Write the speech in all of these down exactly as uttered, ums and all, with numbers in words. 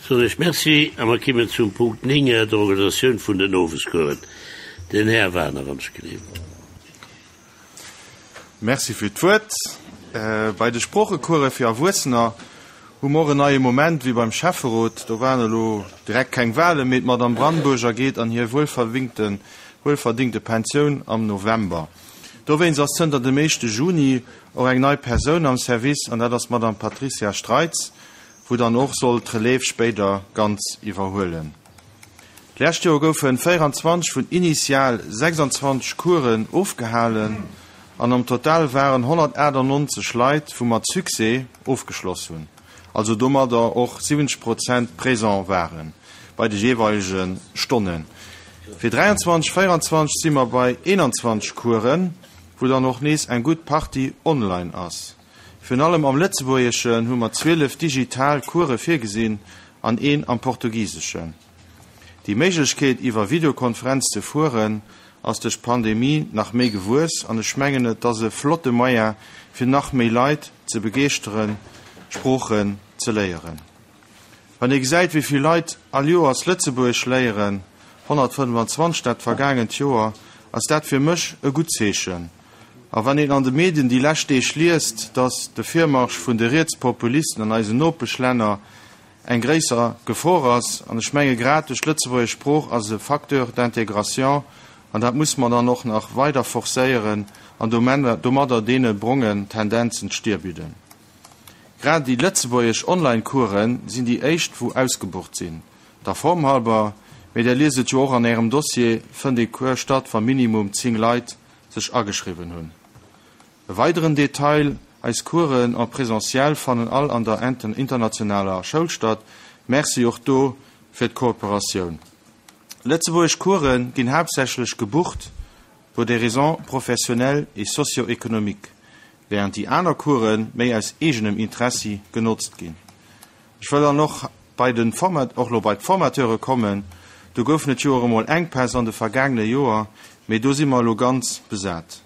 Soen ech Merci a mer kimmen zum Punkt néng, der Organisatioun vun den Owescoursen. Den Här Wagener, wann ech genehm. Merci fir d'Wuert. Bei de Sproochecourse fir Erwuessener hu mer och en neie Moment wéi beim Schäfferot. Do waren elo direkt keng Wahlen, mee d'Madame Brandburger geet an hir wuelverwingte wuelverdingte Pensioun am November. Dowéinst ass zënter dem éischte Juni och eng nei Persoun am Service, an dat ass d'Madame Patricia Streitz, wou dann och soll d'Relève spéider ganz iwwerhuelen. D'lescht Joer goufe véieranzwanzeg vun initial sechsanzwanzeg Coursen ofgehalen an am Total waren honnertachtannonzeg Leit, wou mat Succès ofgeschloss hunn, also domadder och siwwenzeg Prozent présent ware bei de jeeweilege Stonnen. Fir dräianzwanzeg, véieranzwanzeg si mer bei eenanzwanzeg Coursen, wou dann och nees eng gutt Partie online ass. Virun allem am Lëtzebuergeschen hu mer zwielef digital Course virgesinn an een am Portugiseschen. Déi Méiglechkeet, iwwer Videokonferenz ze fueren, ass duerch d'Pandemie nach méi gewuess an ech mengen, et ass e flotte Moyen, fir nach méi Leit ze begeeschteren, Sproochen ze léieren. Wann ee gesäit, wéi vill Leit all Joers Lëtzebuergesch léieren, honnertfënnefanzwanzeg dat vergaangent Joer, ass dat fir mech e gutt Zeechen. A wann een an de Medien déi lescht Deeg liest, datt de Virmarsch vun de Rietspopulisten an eisen Nopeschlänner eng gréisser Gefor ass, an ech menge grad duerch d'lëtzebuergesch Sprooch ass e Facteur d'intégration, an dat muss mer dann och nach weider forcéieren an domadder deene brongen Tendenzen d'Stier bidden. Grad déi lëtzebuergesch Online-Coursen sinn déi éischt wou ausgebucht sinn, der Form halber, mee der liest et jo och an ärem Dossier, fënnt ee Cours statt wa minimum zéng Leit sech ageschriwwen hunn. E weideren Detail, Eis Coursen en présentiel fannen all an der internationaler Schoul statt. Merci och do fir d'Kooperatioun. Lëtzebuergesch Course ginn haaptsächlech gebucht pour des raisons professionnelles et socio-économiques, während déi aner Course méi aus eegenem Interessi genotzt ginn. Ech wëll dann och bei de Format och lo bei d'Formateure kommen. Do goufen et jo och emol Enkpäss an de vergaangene Joer, mee do si mer elo ganz besat.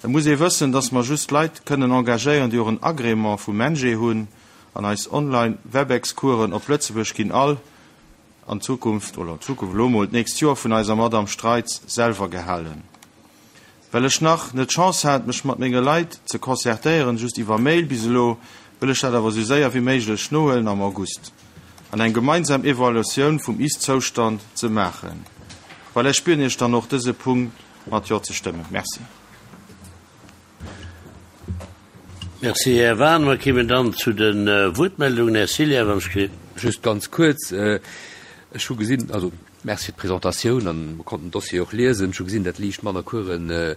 Et muss ee wëssen, dass mer just Leit kënnen engagéieren, déi och en Agrément vum MENJE hunn, an eis online Webex-Coursen op Lëtzebuerg ginn all an Zukunft, oder an Zukunft, elo mol d'nächst Joer vun eiser Madame Streitz selwer gehalen. Well ech nach net d'Chance hat, mech mat menge Leit ze concertéieren, just iwwer Mail bis elo, wëll ech dat awer esou séier wéi méiglech nohuelen am August an eng gemeinsam Evaluatioun vum Ist-Zoustand ze maachen. Voilà, ech bieden Iech dann och dëse Punkt mat Jo ze stëmmen. Merci. Merci, Här Wahn. Mer kéimen dann zu de Wuertmeldungen. Här Cillien, wann ech ge. Just ganz kuerz, Ech hu gesinn, also Merci fir d'Presentatioun an mer konnten den Dossier och liesen. Ech hu gesinn, datt liicht manner Coursen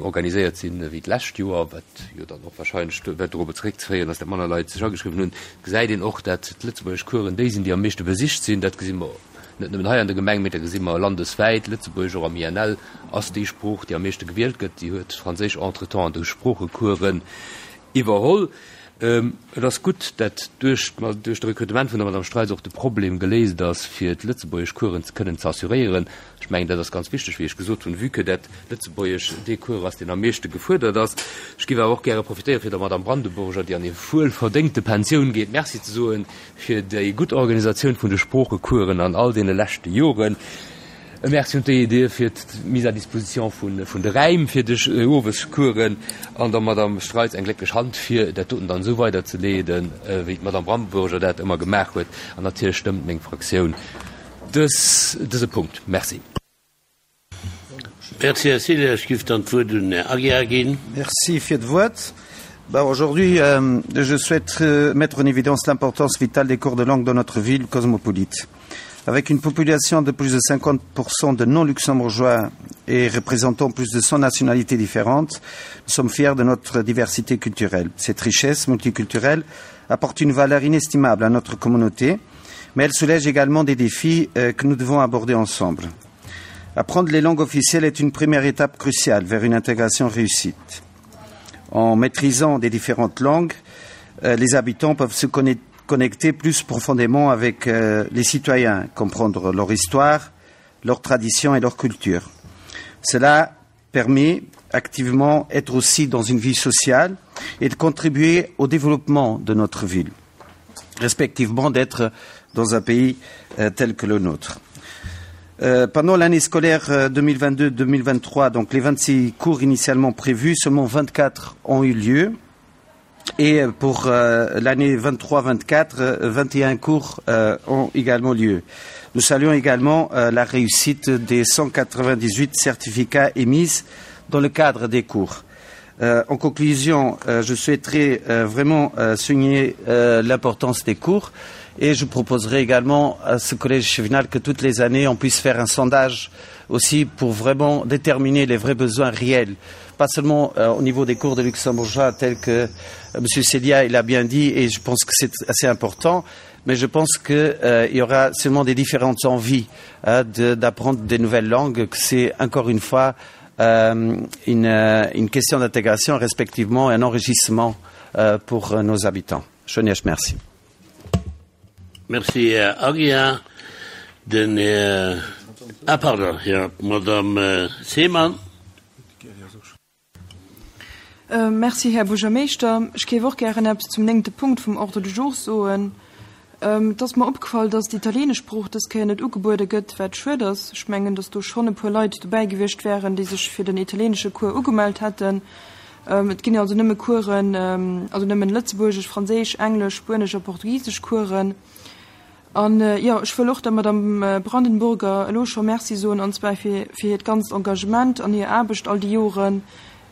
organiséiert sinn ewéi d'lescht Joer, wat jo dann och wahrscheinlech wat dorobber zeréckzeféieren ass, datt manner Leit sech ageschriwwen hunn. Gesäit een och, datt d'lëtzebuergesch Coursen déi sinn, déi am meeschte besicht sinn. Dat gesi mer net nëmmen hei an der Gemeng, mee dat gesi mer landeswäit. Lëtzebuergesch, och am I N L, ass déi Sprooch, déi am meeschte gewielt gëtt. Déi huet Franséisch entretemps an de Sproochecoursen iwwerholl. Et ass gutt, dat duerch duerch de Rekrutement vun der Madame Streitz och de Problem geléist ass, fir d'lëtzebuergesch Coursen ze kënnen ze assuréieren. Ech mengen, dat ass ganz wichteg, wéi ech gesot hunn, vue que dat Lëtzebuergesch dee Cours ass, deen am meeschte gefuerdert ass. Ech géif awer och gäre profitéieren, fir der Madame Brandenburger, déi an hir wuelverdéngte Pensioun geet, Merci ze soen fir déi gutt Organisatioun vun de Sproochecoursen an all deene leschte Joren. E Merci un d'E E D fir d'Mise à disposition vun de Räim fir de Owescoursen an der Madame Streitz eng glécklech Hand fir dat doten dann esou weiderzeleeden, wéi d'Madame Brandenburger dat ëmmer gemaach huet. An natierlech stëmmt meng Fraktioun dës dëse Punkt. Merci. Merci, Här Cillien. Ech giff dann d'Wuert un den Här Aguiar ginn. Merci fir d'Wuert. Bah, aujourd'hui, euh, je souhaite euh, mettre en évidence l'importance vitale des cours de langue dans notre ville cosmopolite. Avec une population de plus de cinquante pour cent de non-luxembourgeois et représentant plus de cent nationalités différentes, nous sommes fiers de notre diversité culturelle. Cette richesse multiculturelle apporte une valeur inestimable à notre communauté, mais elle soulève également des défis euh, que nous devons aborder ensemble. Apprendre les langues officielles est une première étape cruciale vers une intégration réussie. En maîtrisant des différentes langues, euh, les habitants peuvent se connecter plus profondément avec euh, les citoyens, comprendre leur histoire, leur tradition et leur culture. Cela permet activement être aussi dans une vie sociale et de contribuer au développement de notre ville. Respectivement d'être dans un pays euh, tel que le nôtre. Euh, pendant l'année scolaire deux mille vingt-deux deux mille vingt-trois, donc les vingt-six cours initialement prévus, seulement vingt-quatre ont eu lieu. Et pour euh, l'année vingt-trois vingt-quatre, vingt et un cours euh, ont également lieu. Nous saluons également euh, la réussite des cent quatre-vingt-dix-huit certificats émis dans le cadre des cours. Euh, en conclusion, euh, je souhaiterais euh, vraiment euh, souligner euh, l'importance des cours et je proposerai également à ce collège échevinal que toutes les années on puisse faire un sondage aussi pour vraiment déterminer les vrais besoins réels, pas seulement euh, au niveau des cours de luxembourgeois tels que euh, M. Célia l'a bien dit et je pense que c'est assez important, mais je pense qu'il euh, y aura seulement des différentes envies hein, d'apprendre de, des nouvelles langues, que c'est encore une fois euh, une, une question d'intégration, respectivement un enrichissement euh, pour nos habitants. Chonièche, merci. Merci, Här Aguiar. Den Här, ah, pardon, ja, Madame Seemann. Äh, merci, Här Buergermeeschter. Ech géif och gären eppes zum néngte Punkt vum Ordre du jour soen. Ähm, et ass mer opgefall, dass d'italieenesch Sprooch dës Kéier net ugebuede gëtt, wat schued ass. Ech mengen, dass do schonn e puer Leit dobäi gewiescht wären, déi sech fir den italieenesche Cours ugemellt hätten. Ähm, et ginn also nëmme Coursen, ähm, also nëmmen Lëtzebuergesch, Franséisch, Englesch, Spuenesch a Portugisesch Coursen. An äh, ja, ech wëll och der Madame Brandenburger elo scho Merci soen, an zwar fir, fir hiert ganzt Engagement an hir Aarbecht all déi Joren.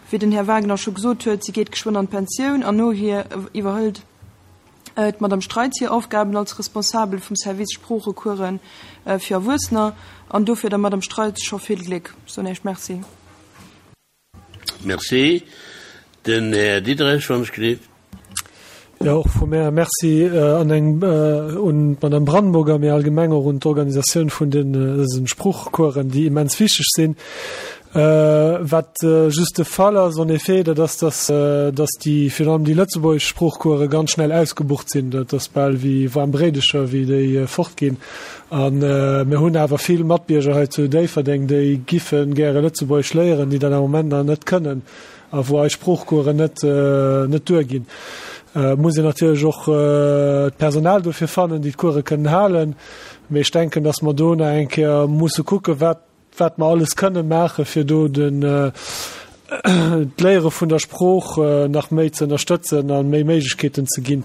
Wéi den Här Wagner scho gesot huet, si geet geschwënn an d'Pensioun an no hir iwwerhëlt äh, d'Madame Streitz hir Aufgaben als Responsabel vum Service Sproochecoursen äh, fir Erwuessener. An dofir der Madame Streitz scho vill Gléck. Soen ech Merci. Merci. Den Här Diderich von Schliff. Ja, och vu mär Merci äh, an eng äh, un d'Madame Brandenburger, mee allgemeng och un d'Organisatioun vun den äh, Sproochcoursen, déi immens wichteg sinn. Äh, wat äh, just de Fall ass, en effet, dat ass, dass, äh, dass déi virun allem déi lëtzebuergesch Sproochcourse ganz schnell ausgebucht sinn, dat ass bal wéi waarm Bréidecher, wéi déi äh, fortginn. An äh, mir hunn awer vill Matbierger hei zu Déifferdeng, déi giffe gäre Lëtzebuergesch léieren, déi dann am Moment nach net kënnen a wou eis Sproochcoursen net, äh, net duerginn. Äh, muss een natierlech och äh, d'Personal dofir fannen, déi d'Course kënnen halen. Mee ech denken, dass mer do nach eng Kéier musse kucke wat wat mer alles kënne maache fir do den äh, d'Léiere vun der Sprooch äh, nach méi ze ënnerstëtzen an méi Méiglechkeeten ze ginn.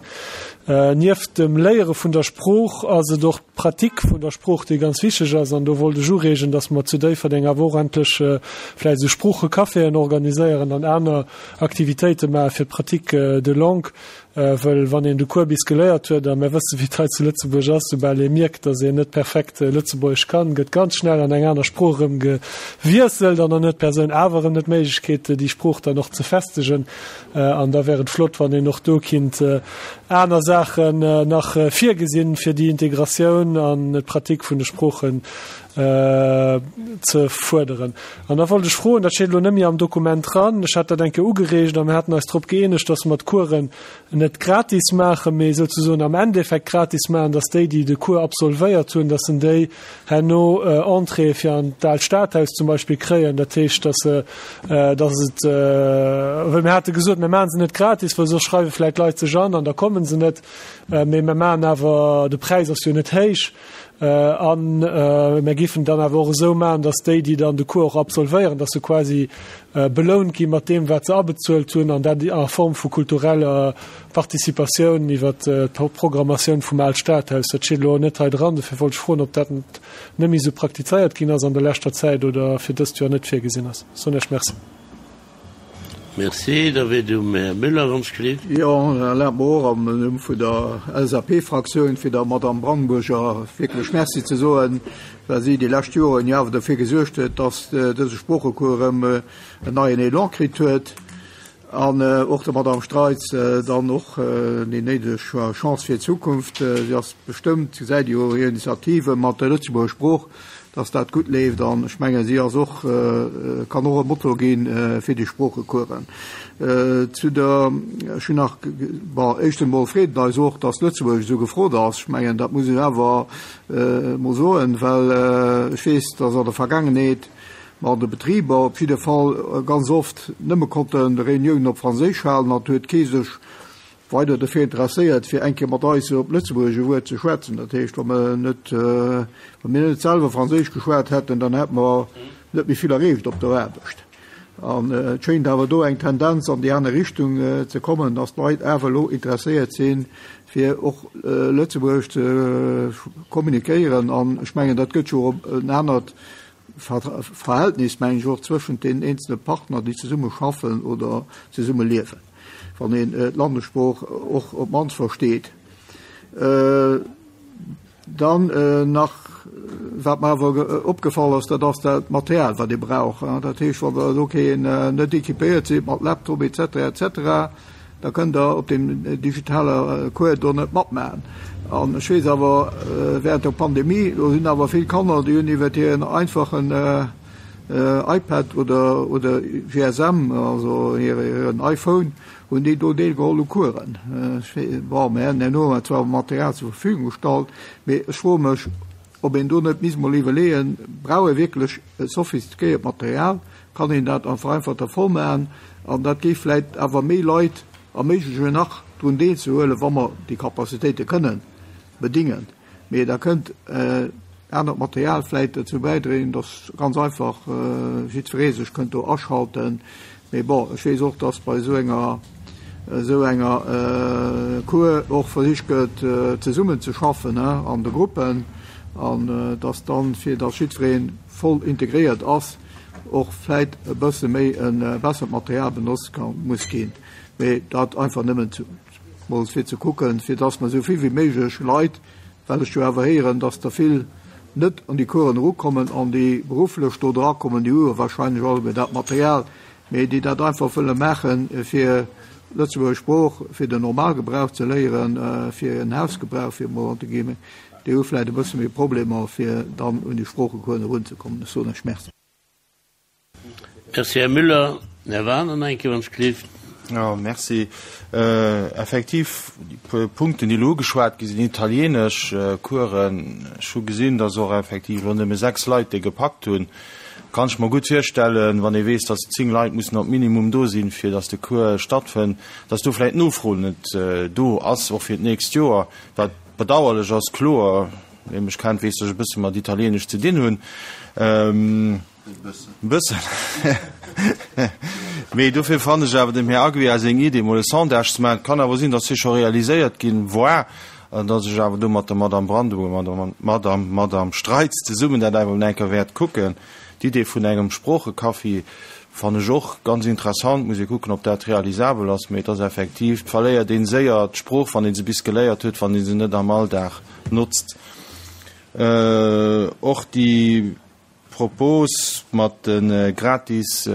Äh, nieft dem Léiere vun der Sprooch ass et och d'Pratik vun der Sprooch, déi ganz wichteg ass, an do wollt ech ureegen, dass mer zu Déifferdeng awer och endlech äh, vläicht esou Sproochecaféen organiséieren an aner Aktivitéite maache fir d'Pratique äh, de langue, äh, well wann een de Cours bis geléiert huet, a mir wësse wéi et hei zu Lëtzebuerg ass, soubal ee mierkt, dass een net perfekt äh, Lëtzebuergesch kann, gëtt ganz schnell an eng aner Sprooch erëm gewiesselt an dann huet d'Persoun awer erëm net d'Méiglechkeet, déi Sprooch dann och ze festegen. Äh, an da wär et flott, wann een och do kinnt äh, aner Saachen äh, nach äh, virgesinn fir déi Integratioun an d'Pratik vun de Sproochen äh, ze fuerderen. An da wollt ech froen, dat steet elo net méi am Dokument dran, ech hat dat eng Kéier ugereegt a mir haten eis drop gëeenegt, dass mer d'Coursen net gratis maachen, mee souzesoen am Endeffekt gratis maachen, dass déi, déi de Cours absolvéiert hunn, dass en déi herno äh, Entrée fir an d'Aalt Stadhaus zum Beispill kréien. Dat heescht, dass se, äh, dass et, äh, well mir hate gesot, mir maache se net gratis, well soss schreiwe vläicht Leit sech an an da komme se net, äh, mee mir maachen awer, de Präis ass jo net héich, äh, an äh, mir giffen dann awer och esou maachen, dass déi, déi dann de Cours och absolvéieren, dass se quasi äh, belount gi mat deem, wat se abezuelt hunn, an dat a Form vu kultureller Participatioun iwwer äh, d'Programmatioun vum Aalt Stadhaus. Dat steet elo net hei dran, dofir wollt ech froen, ob dat net méi esou praktizéiert ginn ass an der leschter Zäit oder fir dëst Joer net virgesinn ass. Soen ech Merci. Merci, da wier um Här Müller ganz gelift. Jo, erlaabt mer och am Numm vun der L S A P-Fraktioun fir der Madame Brandenburger wierklech Merci ze soen, well si déi lescht Joren jo awer dofir gesuergt huet, dass dëse Sproochecours erëm en neien Elan kritt huet. An och der Madame Streitz dann och déi néideg Chance fir d'Zukunft. Si ass bestëmmt, gesäit jo hir Initiative mat der Lëtzebuerger Sprooch, dass dat gutt leeft. An ech menge si ass och, kann och e Motto ginn fir déi Sproochecoursen. Zu der, ech hunn nach, bon, éischt emol freet et eis och, dass Lëtzebuerg esou gefrot ass. Ech mengen, dat muss ech awer mol soen, well ech weess, dass an der Vergaangenheet mer an de Betriber op jidde Fall ganz oft nëmme konnten Reuniounen op Franséisch halen, an huet kee sech weider dofir interesséiert, fir eng Kéier mat eis op Lëtzebuergesch e Wuert ze schwätzen. Dat heescht, wa mer net, wa mir net selwer Franséisch geschwat hätten, dann hätte mer net méi vill erreecht op der Aarbecht. An et schéint awer do eng Tendenz an déi aner Richtung ze kommen, dass d'Leit awer elo interesséiert sinn, fir och Lëtzebuergesch ze kommunikéieren. An ech mengen, dat gëtt jo och en anert Verhältnis, mengen ech, och zwëschent deenen eenzele Partner, déi zesumme schaffen oder zesumme liewen, wann een d'Landessprooch och op d'mannst versteet. Dann nach, wat mer awer opgefall ass, dat ass dat Material, wat ee brauch. Dat heescht, wann Der elo keen, net équipéiert sidd mat Laptop et cetera et cetera, da kënnt Der op deem digitale Cours do net matmaachen. An ech weess awer, während der Pandemie, do sinn awer vill Kanner, déi hunn iwwer hiren einfachen iPad oder, oder G S M, also hiren iPhone, hunn déi do deelgeholl u Coursen. Bon, mir hätten herno zwar Material zur Verfügung gestallt, mee ech froe mech, ob een do net misst mol iwwerleeën, brauch ee wierklech e sophistiquéiert Material, kann een dat a vereinfachter Form maachen, an dat géif vläicht awer méi Leit erméiglechen, nach drun deelzehuelen, wa mer déi Capacitéite kënnen bedingen. Mee da kënnt anert Material vläicht dozou bäidroen, dass ganz einfach jiddweree sech kënnt do aschalten. Mee bon, ech weess och, dass bei esou enger, esou enger Cours och versicht gëtt, zesummen ze schaffen an de Gruppen, an dass dann, fir dass jiddweree voll integréiert ass, och vläicht e bësse méi e bessert Material benotzt ka muss ginn. Mee dat einfach nëmmen mol fir ze kucken, fir dass mer esou vill wéi méiglech Leit, well ech jo awer héieren, dass der vill net an déi Coursen erukommen an déi berufflech do drakommen, déi hu jo wahrscheinlech alleguer dat Material, mee déi dat einfach wëlle maachen, fir Lëtzebuerger Sprooch fir den Normalgebrauch ze léieren, fir en Hausgebrauch, fir emol anzeginn, déi hu vläicht e bësse méi Problemer, fir dann un déi Sproochecoursen erunzekommen. Ech soen lech Merci. Merci, Här Müller. Här Wagener, nach eng Kéier, wann ech gleef. Jo, merci. Effektiv, déi puer Punkten, déi elo ugeschwat gi sinn, italienesch Coursen, ech hu gesinn, dass och effektiv elo nëmme sechs Leit déi gepackt hunn. Kann ech mer gutt virstellen, wann ee weess, dass zéng Leit mussen op Minimum do sinn, fir dass de Cours stattfënnt, dass do vläicht d'Nofro net do ass, och fir d'nächst Joer, wat bedauerlech ass, kloer. Wee mech kennt, weess, dass ech e bësse mat Italienesch ze dinn hunn. E bëssen. Mee dofir fannen ech awer dem Här Aguiar seng Idee, mol e Sondage ze maachen, et kann awer sinn, dass dee scho realiséiert ginn war, an dass ech awer do mat der Madame Brandebourg, mat der Madame, Madame Streitz zesummen dat awer mol eng Kéier wäert kucken. D'Idee vun engem Sproochecafé fannen ech och ganz interessant. Muss ee kucken, ob dat realisabel ass. Mee et ass effektiv, et verléiert ee séier d'Sprooch, wann ee se bis geléiert huet, wann ee se net am Alldag notzt. Och déi Propos mat de gratis,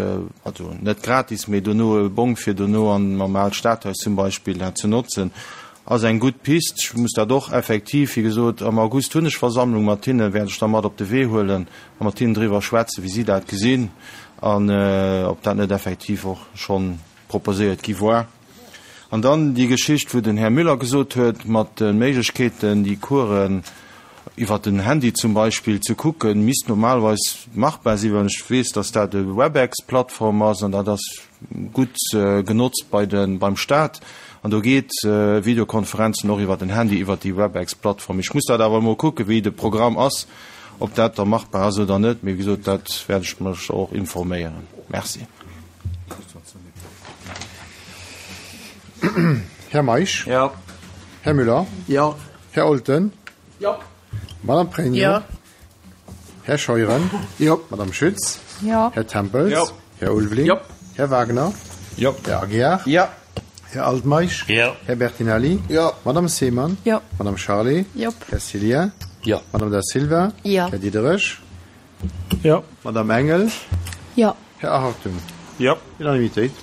also net gratis, mee dono e Bong fir dono an am Aalt Stadhaus zum Beispill dat ze notzen, ass eng gutt Pist. Ech muss dat och effektiv, wéi gesot, am August hunn ech Versammlung mat hinnen, wäert ech da mat op de Wee huelen a mat hinnen driwwer schwätzen, wéi si dat gesinn an ob dat net effektiv och schonn proposéiert gi war. An dann déi Geschicht, wou den Här Müller gesot huet, mat de Méiglechkeeten, déi Coursen iwwer den Handy zum Beispill ze kucken, misst normalerweis machbar sinn, well ech weess, dass dat e Webex-Plattform ass an dat ass gutt genotzt bei de, beim Stat. An do geet Videokonferenzen och iwwer den Handy, iwwer déi Webex-Plattform. Ech muss dat awer emol kucken, wéi de Programm ass, ob dat da machbar ass oder net. Mee wéi gesot, dat wäert ech mech och informéieren. Merci. Här Meisch? Jo. Här Müller? Jo. Här Olten? Jo. Madame Pregno? Jo. Här Scheuren? Jo. Madame Schütz? Jo. Här Tempels? Jo. Här Ulveling? Jo. Här Wagner? Jo. Här Aguiar? Jo. Här Altmeisch? Jo. Här Bertinelli? Jo. Madame Seemann? Jo. Madame Charlé? Jop. Här Cillien? Jo. Madame Da Silva? Jo. Här Diderich? Jo. Madame Engel? Jo. Här Hartung? Jo. Unanimitéit.